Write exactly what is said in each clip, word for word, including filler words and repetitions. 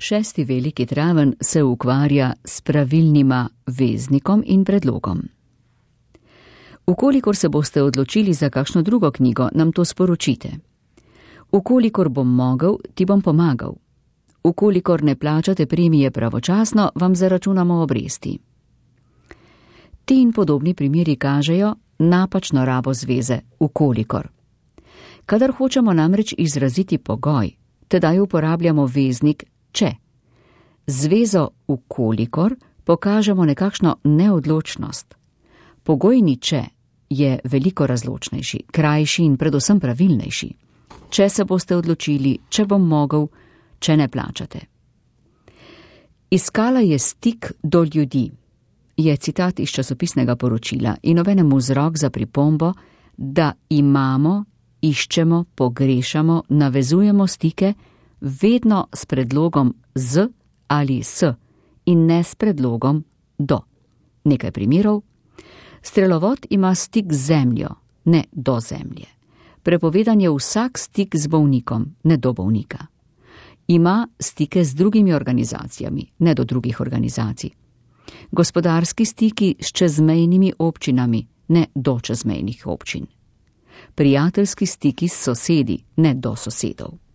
Šesti veliki traven se ukvarja s pravilnima veznikom in predlogom. Ukolikor se boste odločili za kakšno drugo knjigo, nam to sporočite. Ukolikor bom mogel, ti bom pomagal. Ukolikor ne plačate premije pravočasno, vam zaračunamo obresti. Ti in podobni primeri kažejo napačno rabo zveze ukolikor. Kadar hočemo namreč izraziti pogoj, tedaj uporabljamo veznik če. Zvezo ukolikor pokažemo nekakšno neodločnost. Pogojni če je veliko razločnejši, krajši in predvsem pravilnejši. Če se boste odločili, če bom mogel, če ne plačate. Iskala je stik do ljudi, je citat iz časopisnega poročila in obenem vzrok za pripombo, da imamo, iščemo, pogrešamo, navezujemo stike vedno s predlogom z ali s in ne s predlogom do. Nekaj primerov. Strelovod ima stik z zemljo, ne do zemlje. Prepovedan je vsak stik z bolnikom, ne do bolnika. Ima stike z drugimi organizacijami, ne do drugih organizacij. Gospodarski stiki s čezmejnimi občinami, ne do čezmejnih občin. Prijateljski stiki s sosedi, ne do sosedov.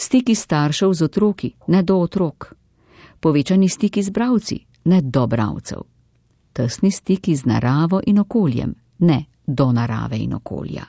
Stiki staršev z otroki, ne do otrok. Povečani stiki z bralci, ne do bralcev. Tesni stiki z naravo in okoljem, ne do narave in okolja.